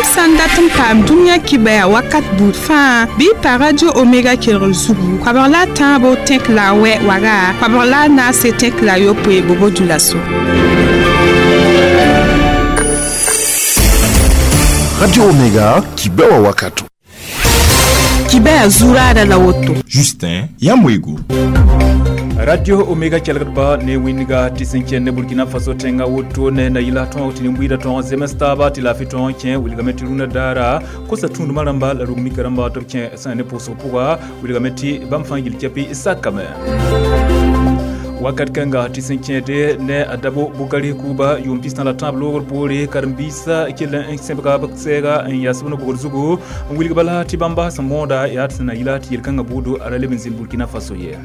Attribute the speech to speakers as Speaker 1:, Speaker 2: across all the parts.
Speaker 1: Yãmb sã n dat n paam dũniyã kibaya wakat buud fãa bɩ y pa Radio Omega kelgr zugu koabg la a tãabo tẽk la a wɛ waga koabg la a naase tẽk la a yopoe bobo dulaso.
Speaker 2: Radio Omega, kibewa wakato.
Speaker 1: Kibaya zuraada la woto.
Speaker 3: Justin Yamwego.
Speaker 4: Radio Omega kelgdba ne wĩnga tɩ sẽn kẽnd ne Burkina Faso tẽngã woto ne na yɩla tõog tɩ nin-buiidã tõog zems taaba tɩ laafɩ tõog kẽ wilgame tɩ rũnã daara kosa tũudmã rãmba la rug-mika rãmba tɩ b kẽ sã ne pʋʋsg pʋga wilgame tɩ bãmb fãa yil kɛpɩ sakame. Wakat kãnga tɩ sẽn kẽede ne a Dabo Bukari Kuba yʋʋm pistã la tãab loogr poore karen-biisã kell n sẽbga b sɛɛga n yas b no-bogd zugu n wilg bala tɩ bãmba sẽn mõoda yaa tɩ sẽn na yɩla tɩ yel-kãngã buudo a ra leb n zĩnd Burkina Faso ye.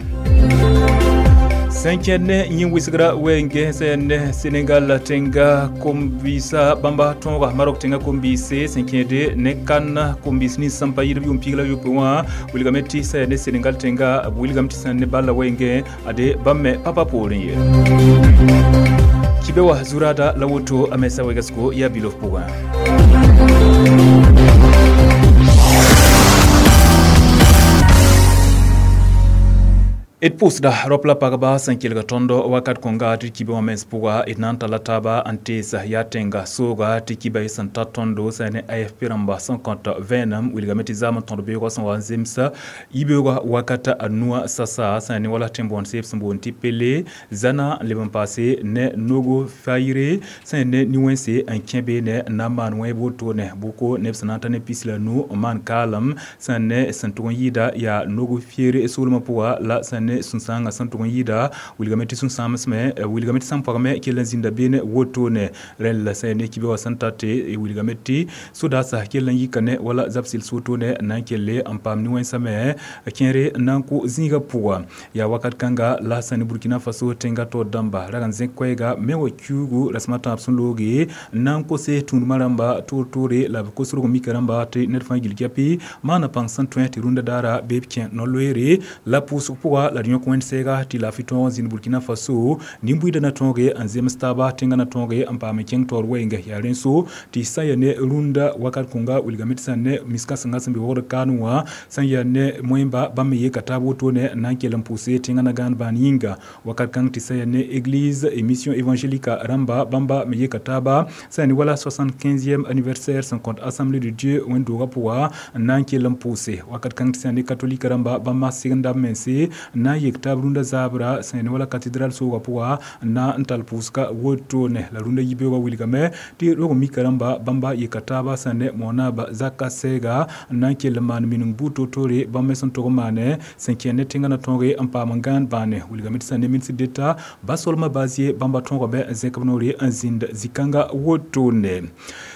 Speaker 4: Sẽn kẽnd ne yĩn wɩsgra wɛɛngẽ sẽn ne Senegal tẽnga kom-biisã bãmba tõoga Marok tẽnga kom-biise sẽn kẽede ne kan kom-biis nins sẽn pa yɩlb yʋʋm piig la yopoe wã wilgame tɩ sã ne Senegal tẽnga b wilgame tɩ sẽn ne balla wɛɛngẽ ade bãmb me pa pa poorẽ ye. Kibe wa zurada la woto a mesa wegasgo yaa bilof pʋgã. D pʋʋsda rap la pagba sẽn kelg tõndo wakat kõnga tɩ kibe wã mens pʋga d na n talla taaba n teesa yaa tẽnga sooga tɩ kiba y sẽn ta tõndo sã ne AFP rãmba sẽn kõt vẽenem wilgame tɩ zaam n tõd beoogã sẽn wa n zemsa yibeoogã wakata a nuã sasa sã ne wala tẽn-bõond seeb sẽn boond tɩ Pele zãna n leb n paase ne nogo fayre sã ne nin-wẽnse n kẽ beene n na n maan wẽeb wotone bʋko neb sẽn na n ta ne pis la nu n maan kaalem sã ne sẽn tʋg n yɩɩda yaa nogo fiere soolmã pʋga la sã ne sũ-sãangã sẽn tʋg n yɩɩda wilgame tɩ sũ-sãamsme wilgame tɩ sãn pagme kell n zĩnda beene wotone rẽnd la sã ne kibe wã sẽn tate wilgame tɩ sodaasã kell n yika ne wala zab-sɩls wotone n na n kelle n paam nin-wẽnsã me kẽere n na n kʋ zĩigã pʋga yaa wakat kãnga la sã ne Burkina Faso tẽngã taoor dãmba rag n zẽk koɛɛga me wa kiuugu rasem a tãab sẽn looge n na n kose tũudmã rãmba toor-toore la b kos rog-mika rãmba tɩ ned fãa gil kɛpɩ maana pãng sẽn tõe tɩ rũndã daara bee b kẽ no-loeere la pʋʋsg pʋga la d yõk wẽnd sɛɛga tɩ laafɩ tõog zĩnd Burkina Faso nin-buiidã na tõoge n zems taaba tẽngã na tõoge n paam n kẽng taoor wɛɛnga yaa rẽn so tɩ sã n yaa ne rũndã wakat kõnga wilgame tɩ sã n ne miskãsenga sẽn be wogd kaanẽ wã sã n yaa ne moẽmba bãmb me yeka taab wotone n na n kell n pʋʋse tẽngã na gãan bãan yĩnga wakat kãng tɩ sã n yaa ne église émission évangélique rãmba bãmba me yeka taaba sã n yaa ne wala 75e anniversaire sẽn kõt assemblée de Dieu wẽnd-doogã pʋga n na n kell n pʋʋse wakat kãng tɩ sã n ne catholique rãmba bãmba segenda b mense n na n yek taab rũndã zaabra sã ne wala cathédrale soogã pʋga n na n tall pʋʋsga wotone la rũndã yibeoogã wilgame tɩ rog-mika rãmba bãmba yeka taaba sã ne monaaba zaka sɛɛga n na n kell n maan mining buud toor-toore bãmb me sẽn tʋg n maane sẽn kẽnd ne tẽngã na tõoge n paam n gãan bãane wilgame tɩ sã ne ministre d'État Basolma Bazie bãmba tõogame n zẽk b noore n zĩnd zĩ-kãnga wotone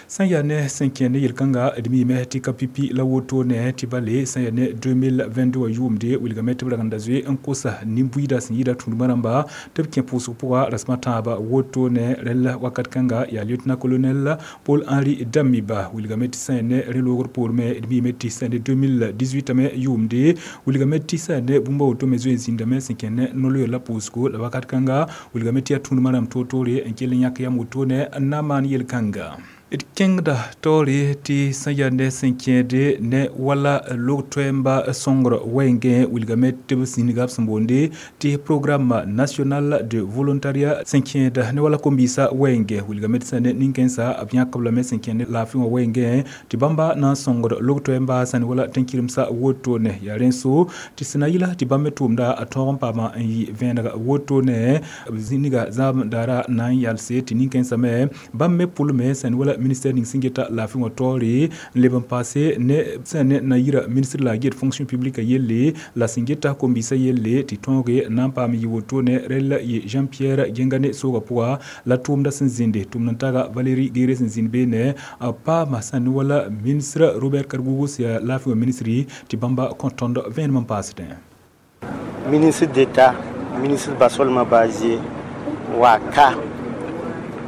Speaker 4: sã n yaa ne sẽn kẽnd ne yel-kãnga d miime tɩ ka pipi la wotone tɩ bale sã n yaa ne 2022 wã yʋʋmde wilgame tɩ b rag n da zoe n kosa nin-buiidã sẽn yɩɩda tũudmã rãmba tɩ b kẽ pʋʋsg pʋga rasem a tãabã wotone rẽnd wakat kãnga yaa lieutenant colonel Paul Henri Damiba wilgame tɩ sã n yaa ne rẽ loogr poor me d miime tɩ sã n ne 2018 me yʋʋmde wilgame tɩ sã n yaa ne bũmb a woto me zoe n zĩndame sẽn kẽnd ne no-loeer la pʋʋsgo la wakat kãnga wilgame tɩ yaa tũudmã rãmb toor-toore n kell n yãk yam wotone n na n maan yel-kãnga. D kẽngda taoore tɩ sã n yaa ne sẽn kẽede ne wala log-toɛɛmba sõngr wɛɛngẽ wilgame tɩ b zĩniga b sẽn boonde tɩ programme national de volontariat sẽn kẽeda ne wala kom-biisã wɛɛngẽ wilgame tɩ sã ne nin-kẽnsã b yãkb lame sẽn kẽnd ne laafɩ wã wɛɛngẽ tɩ bãmba na n sõngd log-toɛɛmba sã ne wala tẽn-kɩremsã wotone yaa rẽn so tɩ sẽn na yɩla tɩ bãmb me tʋʋmda a tõog n paama n yɩ vẽeneg wotone b zĩniga zãab daara na n yalse tɩ nin-kẽnsã me bãmb me pʋlme sã ne wala ministère ning sẽn geta laafɩ wã taoore n leb n paase ne sã ne na yira ministre la get fonction publique yelle la sẽn geta kom-biisã yelle tɩ tõoge n na n paam yɩ wotone rel la yɩ Jean-Pierre Gengane soogã pʋga la tʋʋmdã sẽn zĩnde tʋmd n taga Valérie Guéré sẽn zĩnd beene a paama sã ne wala ministre Robert Kargougou sẽn yaa laafɩ wã ministre tɩ bãmba kõ tõnd vẽenem n paasdẽ.
Speaker 5: Ministre d'État, ministre Basolma Bazie, waka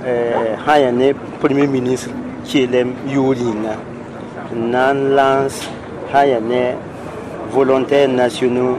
Speaker 5: sã yaa ne premier ministre keelem yʋʋr yĩnga n na n lance sã yaa ne volontaires nationaux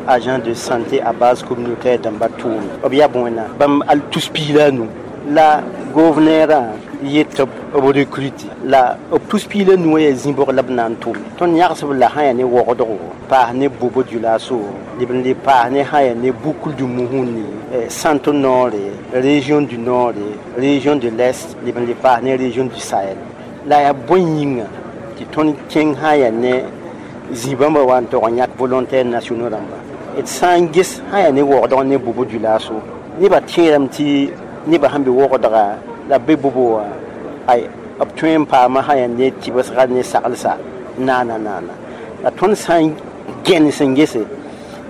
Speaker 5: agents de santé à base communautaire dãmba tʋʋm b yaa bõe bãmb al tus piig la a nu la Gouverneur yet b recruter la b tus piila nuwã yaa zĩ-bʋg la b na n tʋm tõnd yãgsb la sã yaa ne wogdgo paas ne Bobo Dioulasso leb n le paas ne sã yaa ne Boucle du Mouhouni, Centre Nord, région du Nord, région de l'Est, leb n le paas ne région du Sahel. La yaa bõe yĩnga tɩ tõnd kẽng sã yaa ne zĩ-bãmba wa n tog n yãk volontaire nationaux rãmba d sã n ges sã yaa ne wogdg ne Bobo Dioulasso nebã tẽedame tɩ nebã sẽn be wogdga la be Bobo wã ay b tõe n paama sã yaa ne tɩbsga ne saglsa naana naana la tõnd sã n gẽnes n gese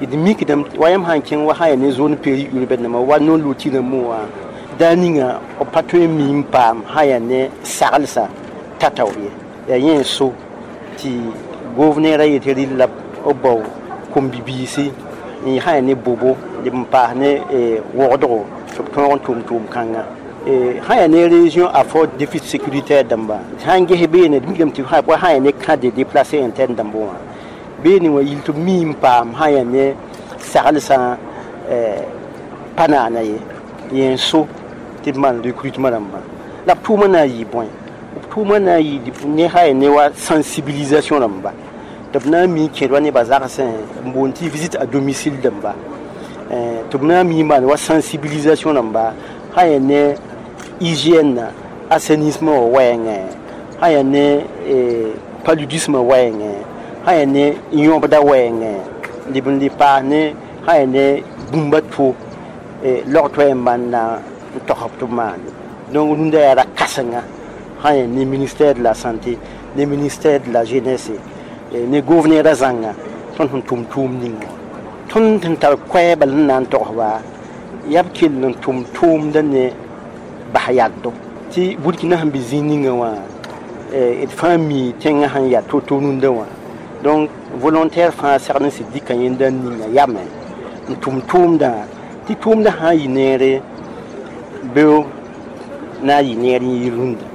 Speaker 5: d mikdame wa yãmb sã n kẽng wa sã yaa ne zone périurbaine nãmba wa non loti rãmbẽ wã daa ninga b pa tõe n mi n paam sã yaa ne saglsa tataoor ye yaa yẽ n so tɩ gouverneur a yetɩ rɩl la b bao kom-bibiisi n sã yaa ne Bobo leb n paas ne wogdgo tɩ b tõog n tʋm tʋʋm-kãngã sã yaa ne région à fort déficit sécuritaire dãmba sã n ges beene d mikdame tɩ wa sã yaa ne camp de déplacé interne dãmb wã beene wã yil tɩ b mi n paam sã yaa ne saglsã pa naana ye yẽ n so tɩ b maan recrutement rãmbã la b tʋʋmã na n yɩ bõe b tʋʋmã na n yɩ ne sã yaa ne wa sensibilisation rãmba tɩ b na n mi n kẽed wa nebã zagsẽ n boond tɩ visite à domicile dãmba tɩ b na n mi n maan wa sensibilisation rãmba sã yaa ne hygiène assainissement wã wɛɛngẽ sã yaa ne paludisme wɛɛngẽ sã yaa ne yõbda wɛɛngẽ leb n le paas ne sã yaa ne bũmba to log-toɛɛ n maan na n togsb tɩ b maane donc rũndã yaa ra kãsenga sã yaa ne ministère de la Santé, ne ministère de la Jeunesse, ne gouverneur a zãnga tõnd sẽn tʋm tʋʋm ninga tõnd sẽn tar koɛɛ bal n na n togsba yaa b kell n tʋm tʋʋmda ne bas yaddo tɩ Burkina sẽn be zĩig ninga wã d fãa mi tẽngã sẽn yaa to-to rũndã wã donc volontaire fãa segd n sɩd dɩka yẽnda ninga yame n tʋm tʋʋmdã tɩ tʋʋmdã sã n yɩ neere beo na n yɩ neer n yɩ rũndã.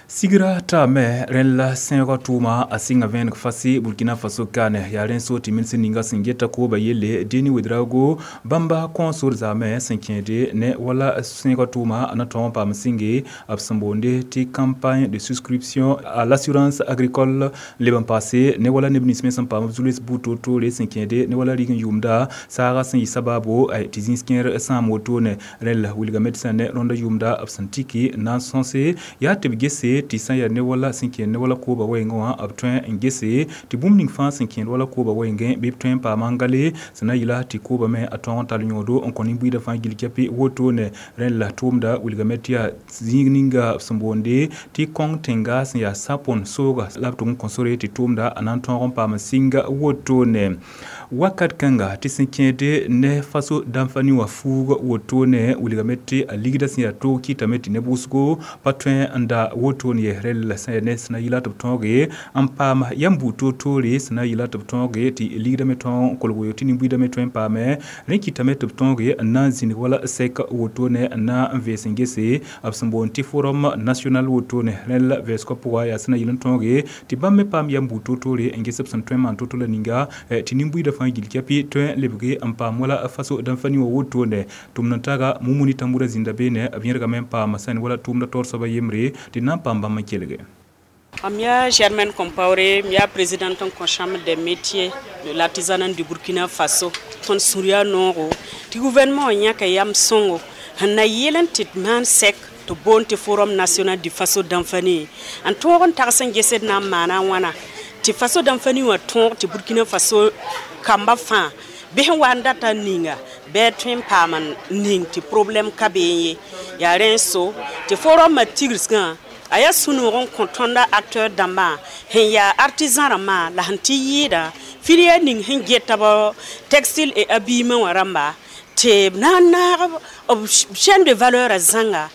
Speaker 4: Sigra taame rẽn la sẽegã tʋʋma a sɩnga vẽeneg fase Burkina Faso kaane yaa rẽn so tɩ minis ninga sẽn geta kooba yelle Deni Ouedraogo bãmba kõosor zaame sẽn kẽede ne wala sẽegã tʋʋma a na tõog n paam sɩnge b sẽn boonde tɩ campagne de souscription à l'assurance agricole leb n paase ne wala neb nins me sẽn paam b zu-loees buud toor-toore sẽn kẽede ne wala rig n yʋʋmda saaga sẽn yɩ sabaabo tɩ zĩis kẽer sãam wotone rẽn la wilgame tɩ sã ne rõndã yʋʋmda b sẽn tiki na n sõse yaa tɩ b gese tɩ sã n yaa ne wala sẽn kẽed ne wala kooba wɛɛngẽ wã b tõe n gese tɩ bũmb ning fãa sẽn kẽed wala kooba wɛɛngẽ bɩ b tõe n paama n gale sẽn na n yɩla tɩ kooba me a tõog n tall yõodo n kõ nin-buiidã fãa gill kɛpɩ wotone rẽn la tʋʋmda wilgame tɩ yaa zĩig ninga b sẽn boonde tɩ kõng tẽnga sẽn yaa sapon sooga la b tʋg n kõ sore tɩ tʋʋmda a na n tõog n paam n sɩnga wotone wakat kãnga tɩ sẽn kẽede ne Faso dãmfani wã fuug wotone wilgame tɩ a ligda sẽn yaa toog kɩtame tɩ neb wʋsgo pa tõe n da wotone ye rel la sẽn ne sẽn na yɩla tɩ b tõoge n paam yãmb buud toor-toore sẽn na yɩla tɩ b tõoge tɩ ligdã me tõog n kolg tɩ nin-buiidã me tõe n paame rẽ kɩtame tɩ b tõoge n na n zĩnig wala sɛk wotone n na n vees n gese b sẽn boond tɩ forum national wotone rẽn la vɛɛsgã pʋga yaa sẽn na yɩl n tõoge tɩ bãmb me paam yãmb buud toor-toore n ges b sẽn tõe n maan to-to la ninga tɩ nin-buiidã fãa gill kɛpɩ tõe n lebge n paam wala Faso dãmfani wã wotone tʋmd n taga Mumuni Tambura zĩnda beene b yẽrgame n paam sẽn wala tʋʋmdã taoor soaba yembre tɩ na n paam bãmb n kelge.
Speaker 3: Mia Germaine Compaoré, mia présidente en chambre des métiers de l'artisanat du Burkina Faso. Tõnd sũur noogo tɩ gouvernement yãka yam sõngo sẽn na yɩl n tɩ maan sɛk tɩ boond tɩ Forum national du Faso Danfani n tõog n tags n gesd na n maana wãna tɩ Faso Danfani wã tõog tɩ Burkina Faso kamba fãa bɩ sẽn wa n data n ninga bɩ tõe n paam n ning tɩ problème ka bee ye yaa rẽ n so tɩ forum tigsgã a yaa sũ-noog n kõ tõnda acteur dãmbã sẽn yaa artisan rãmbã la sẽn tɩ yɩɩda filière ning sẽn geta b textile et habillement wã rãmba tɩ b na n naag b chaîne de valeur a zãnga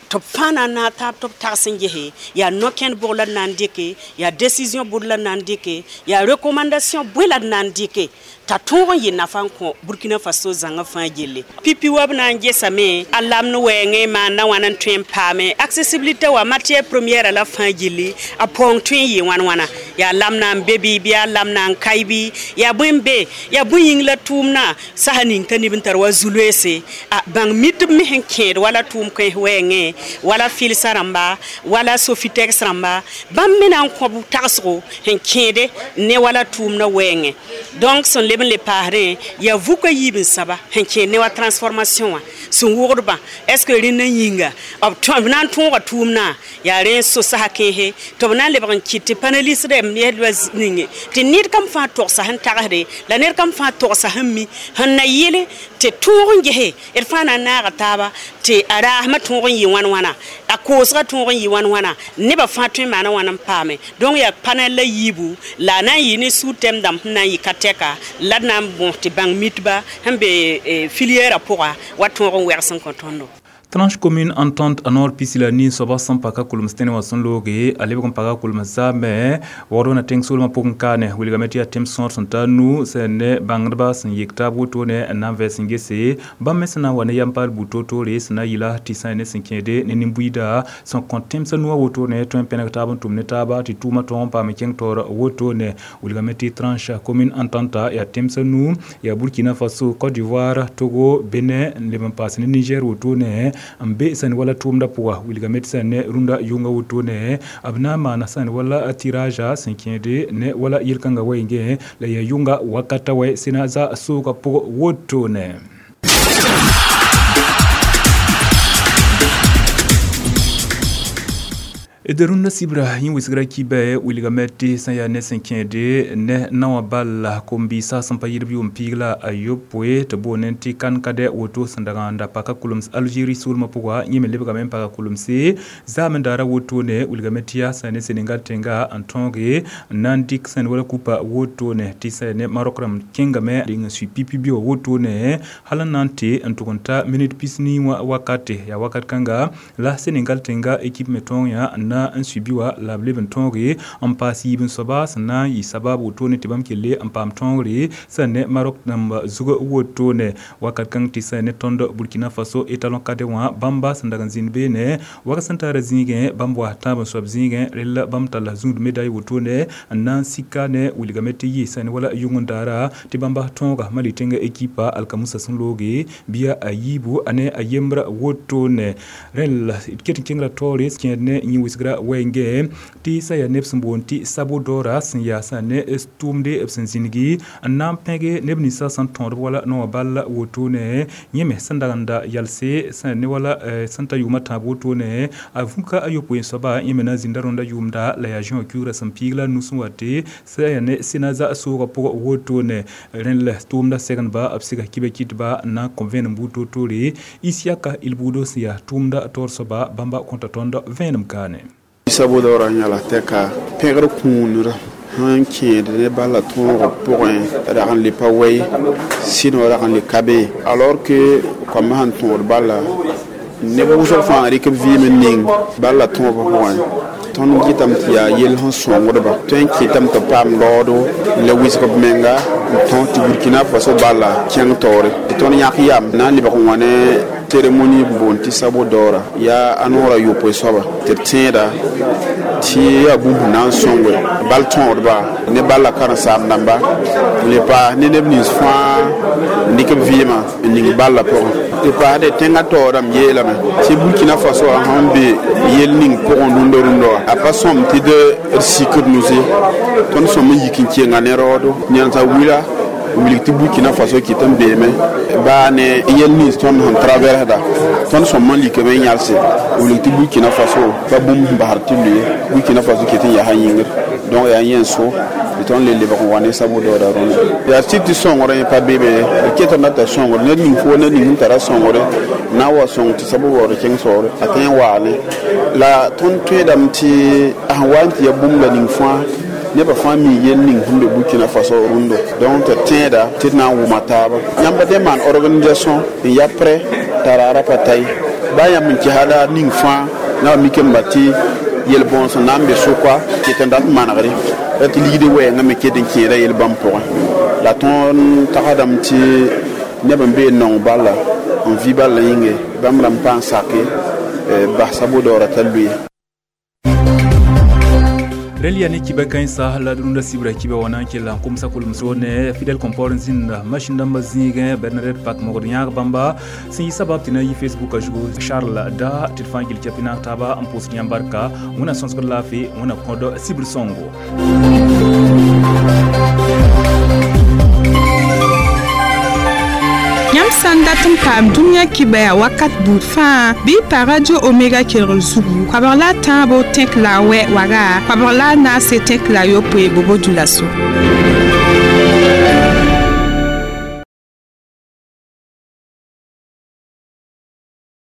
Speaker 3: tɩ b fãa na n naag taab tɩ b tags n gese yaa no-kẽnd bʋg la d na n dɩke yaa décision bʋd la d na n dɩke yaa recommandation bõe la d na n dɩke t'a tõog n yɩ nafa n kõ Burkina Faso zãngã fãa gelle pipi wa b na n gesame a lamd wɛɛngẽ maanda wãna n tõe n paame accessibilité wa matière première la fãa gilli a paoong tõe n yɩ wãn-wãna. Yaa lam na n be bɩ bɩ yaa lam na n kae bɩ yaa bõe n be yaa bõe yĩng la tʋʋmdã sasa ning t'a neb n tar wa zu-loeese a bãng mitb me sẽn kẽed wala tʋʋm kãens wɛɛngẽ wala fɩlsã rãmba wala sofitex rãmba bãmb me na n kõ tagsgo sẽn kẽede ne wala tʋʋmdã wɛɛngẽ donc sẽn leb n le paasdẽ yaa vuka yiib n saba sẽn kẽed ne wa transformation wã sẽn wogdbã est ce que rẽndã yĩnga b na n tõoga tʋʋmdã yaa rẽ so sasa kẽese tɩ b na n lebg n kɩt tɩ panelist rɛm ninge tɩ ned kam fãa togsa sẽn tagsde la ned kam fãa togsa sẽn mi sẽn na yele tɩ tõog n gese d fãa na n naaga taaba tɩ a raasmã tõog n yɩ wãn wãna a koosgã tõog n yɩ wãn wãna nebã fãa tõe n maana wãn n paame donc yaa panel la yiibu la a na n yɩ ne suu-tɛm dãmb sẽn na n yɩ ka tɛka la d na n bõs tɩ bãng mitba sẽn be filière pʋga wa tõog n wɛgs n kõ tõndo.
Speaker 4: Tranche commune entente a noor pisi la nin soaba sẽn pa ka kulems tẽne wã sẽn looge a lebg n paga kulems zaame waoodg na tẽng soolmã pʋgẽ kaane wilgame tɩ yaa tẽm sõor sẽn ta nu sẽn ne bãngdba sẽn yek taab wotone n na n vɛɛs n gese bãmb me sẽn na n wa ne yam paal buud toor-toore sẽn na yɩla tɩ sã ne sẽn kẽede ne nin-buiida sẽn kõ tẽmsã nuwã wotone tõe n pẽneg taab n tʋm ne taaba tɩ tʋʋmã tõog n paam kẽng taoor wotone wilgame tɩ tranche commune entente yaa tẽmsã nu yaa Burkina Faso, Côte d'Ivoire, Togo, Benin n leb n paas ne Niger wotone n be sẽn wala tʋʋmdã pʋga wilgame tɩ sẽn ne rũndã yʋnga wotone b na n maana sẽn wala tirage sẽn kẽede ne wala yel-kãngã wɛɛngẽ la yaa yʋnga wakata wɛ sẽna za soogã pʋg wotone. D rũndã sibra yẽ wɩsgra kibɛ wilgame tɩ sẽn yaa ne sẽn kẽede ne naowã bal kom-biisã sẽn pa yɩlb yʋʋm piig la a yopoe tɩ boonẽ tɩ kan-kadɛ woto sẽn dag n da paka kulems Algérie soolmã pʋga yẽ me lebgame n paga kulemse zaam n daara wotone wilgame tɩ yaa sẽn ne Senegal tẽnga n tõoge n na n dɩk sẽn wala kupa wotone tɩ sẽn ne Maroc rãmb kẽngame dɩng n sui pipi bɩ wã wotone hal n na n tɩ n tʋg n ta minit pisnii wã wakate yaa wakat kãnga la Senegal tẽnga ekip me tõog yã n na n sui bɩ wã la b leb n tõoge n paas yiib n soaba sẽn na n yɩ sabab wotone tɩ bãmb kelle n paam tõogre sẽn ne Maroc rãmb zug wotone wakat kãng tɩ sẽn ne tõnd Burkina Faso étalon kade wã bãmba sẽn dag n zĩnd beene wag sẽn tara zĩigẽ bãmb wa tãab n soab zĩigẽ rella bãmb talla zũud medaille wotone n na n sika ne wilgame tɩ yɩ sẽn wala yʋng n daara tɩ bãmba tõoga Mali tẽnga ekipa alkamusa sẽn looge bɩa a yiibu a ne a yembra wotone rẽl d ket n kẽngra taoore kẽed ne yẽ wɩsgra wɛɛngẽ tɩ sã yaa neb sẽn boond tɩ sabo daoora sẽn yaa sã ne tʋʋmde b sẽn zĩnigi n na n pẽge neb ninsã sẽn tõodb wala naowã bal wotone yẽ me sẽn dag n da yalse sẽn ne wala sẽn ta yʋʋmã tãab wotone a vũka a yopoe n soaba yẽ me na n zĩnda rõndã yʋʋmda la yaa zĩ wã kiugrã sẽn piig la nus n wa tɩ sã yaa ne sẽna za soogã pʋgã wotone rẽnd la tʋʋmdã segndba b sɩga kibã kɩtba n na n kõ vẽenem buud toor-toore Isiaka Ilbudo sẽn yaa tʋʋmda taoor soaba bãmba kõta tõnd vẽenem kaane.
Speaker 6: Sabo daoora yãla tɛka pẽgr kũunra sẽn kẽed ne bala tõogã pʋgẽ rag n le pa wɛy sɩd wã rag n le ka be alors que koambã sẽn tõod bala neb wʋsg fãa rɩk b vɩɩm n ning bala tõogã pʋgẽ tõnd gɩtame tɩ yaa yell sẽn sõngdba tõe n kɩtame tɩ b paam raoodo la wɩsg b menga n tõs tɩ Burkina Faso bala kẽng taoore tɩ tõnd yãk yam na n lebg n wã ne cérémonie boond tɩ sabo daoora yaa a noorã yopoe soaba tɩ d tẽeda tɩ yaa bũmb sẽn na n sõnge bal tõodba ne bala karen-saam dãmba n le paas ne neb nins fãa n dɩk b vɩɩmã n ning balla pʋgẽ tɩ paasde tẽngã taoorame yeelame tɩ Burkina Faso wã sẽn be yell ning pʋgẽ rũndã rũndã wã a pa sõm tɩ d sik d nuse tõnd sõm n yik n kenga ne raoodo nensã wila wilg tɩ Burkina Faso kɩt n beeme baa ne yell nins tõnd sẽn traversda tõnd sõm n likame n yãlse wilg tɩ Burkina Faso pa bũmb sẽn basd tɩ lʋɩ Burkina Faso kɩt n yaa yĩngr donc yaa yẽ n so tɩ tõnd le lebg n wa ne sabo daoora rõndã yaa sɩd tɩ sõngr pa beeme d ketame t'a sõngr ned ning foo ned ning sẽn tara sõngre na n wa sõng tɩ sabo waood kẽng soore a tõe n waane la tõnd tõedame tɩ a sẽn wa n tɩ ya bũmb la ning fãa nebã fãa mi yell ning sẽn be Burkina Faso rũndo donc tɩ tẽeda tɩ d na n wʋma taaba yãmb dẽ maan organisation n ya prêt t'a raara pa ta ye baa yãmb n kesa la ning fãa na wa mikame tɩ yel-bõns n na n be sʋka ket n dat manegre la tɩ ligd wɛɛngã me ket n kẽeda yel-bãmb pʋgẽ la tõnd tagsdame tɩ neb n bee n nong bala n vɩ bala yĩnge bãmb rãmb pa n sake bas sabo daoora t'a lʋɩ.
Speaker 4: Rel yaa ne kiba kãensa la d rũndã sibra kiba wã na n kell n komsa kolem-soor ne Fidel Compaoré n zĩnda masin dãmbã zĩigẽ, Bernadette Pak mogd yãag bãmba sẽn yɩ sabab tɩ na yi Facebook zugu, Charles da tɩ d fãa gil kɛpɩ naag taaba n pʋʋsd yãmb barka. Wẽnna sõsgd laafɩ, Wẽnna kõd sibr sõngo.
Speaker 1: Yãmb sã n dat n paam dũniyã kibaya wakat buud fãa, bɩ y pa Radio Omega kelgr zugu 13 tẽk la a wɛ waga 14 tẽk la a yopoe Bobo Dioulasso.